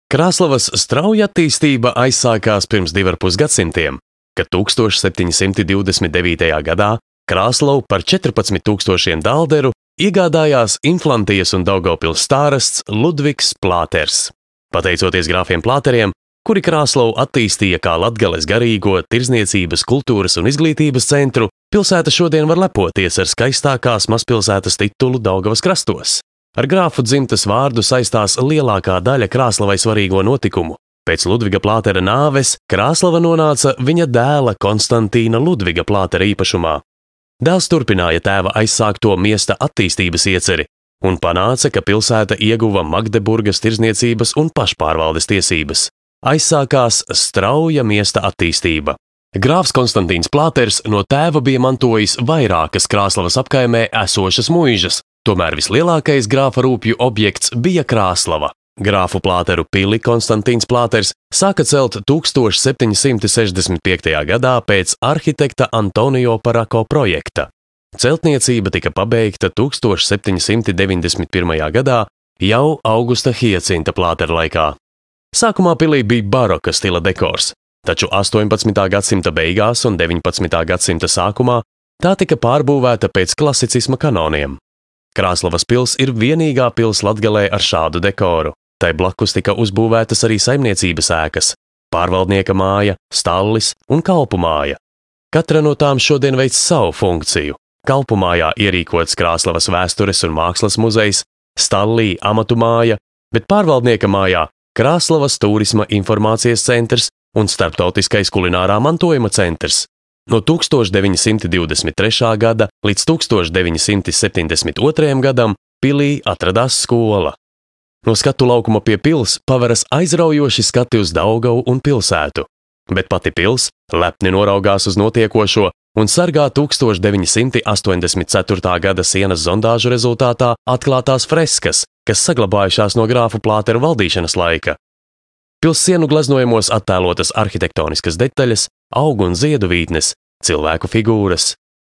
Krāslavas strauja attīstība aizsākās pirms 2,5 gadsimtiem, kad 1729. gadā Krāslavu par 14,000 dalderu iegādājās Inflantijas un Daugavpils stārasts Ludvigs Plāters. Pateicoties grāfiem Plāteriem, kuri Krāslavu attīstīja kā Latgales garīgo, tirzniecības, kultūras un izglītības centru, pilsēta šodien var lepoties ar skaistākās mazpilsētas titulu Daugavas krastos. Ar grāfu dzimtas vārdu saistās lielākā daļa Krāslavai svarīgo notikumu. Pēc Ludviga Plātera nāves Krāslava nonāca viņa dēla Konstantīna Ludviga Plātera īpašumā. Dēls turpināja tēva aizsākto miesta attīstības ieceri un panāca, ka pilsēta ieguva Magdeburgas tirzniecības un pašpārvaldes tiesības. Aizsākās strauja miesta attīstība. Grāfs Konstantīns Plāters no tēva bija mantojis vairākas Krāslavas apkaimē esošas muižas, tomēr vislielākais grāfa rūpju objekts bija Krāslava. Grāfu Plāteru pili Konstantīns Plāters sāka celt 1765. gadā pēc arhitekta Antonio Parako projekta. Celtniecība tika pabeigta 1791. gadā jau Augusta Hiecinta Plātera laikā. Sākumā pilī bija baroka stila dekors, taču 18. gadsimta beigās un 19. gadsimta sākumā tā tika pārbūvēta pēc klasicisma kanoniem. Krāslavas pils ir vienīgā pils Latgalē ar šādu dekoru. Tai blakus tika uzbūvētas arī saimniecības ēkas, pārvaldnieka māja, stallis un kalpu māja. Katra no tām šodien veic savu funkciju. Kalpu mājā ierīkots Krāslavas vēstures un mākslas muzejs, stallī amatu māja, bet pārvaldnieka mājā Krāslavas turisma informācijas centrs un starptautiskais kulinārā mantojuma centrs. No 1923. gada līdz 1972. gadam pilī atradās skola. No skatu laukuma pie pils paveras aizraujoši skati uz Daugavu un pilsētu, bet pati pils lepni noraugās uz notiekošo un sargā 1984. gada sienas zondāžu rezultātā atklātās freskas, kas saglabājušās no grāfu Plāteru valdīšanas laika. Pils sienu gleznojumos attēlotas arhitektoniskas detaļas, augu un ziedu vītnes, cilvēku figūras.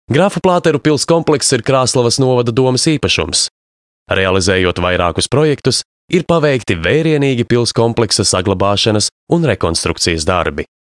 Grāfu Plāteru pils komplekss ir Krāslavas novada domes īpašums. Realizējot vairākus projektus, ir paveikti vērienīgi pils kompleksa saglabāšanas un rekonstrukcijas darbi.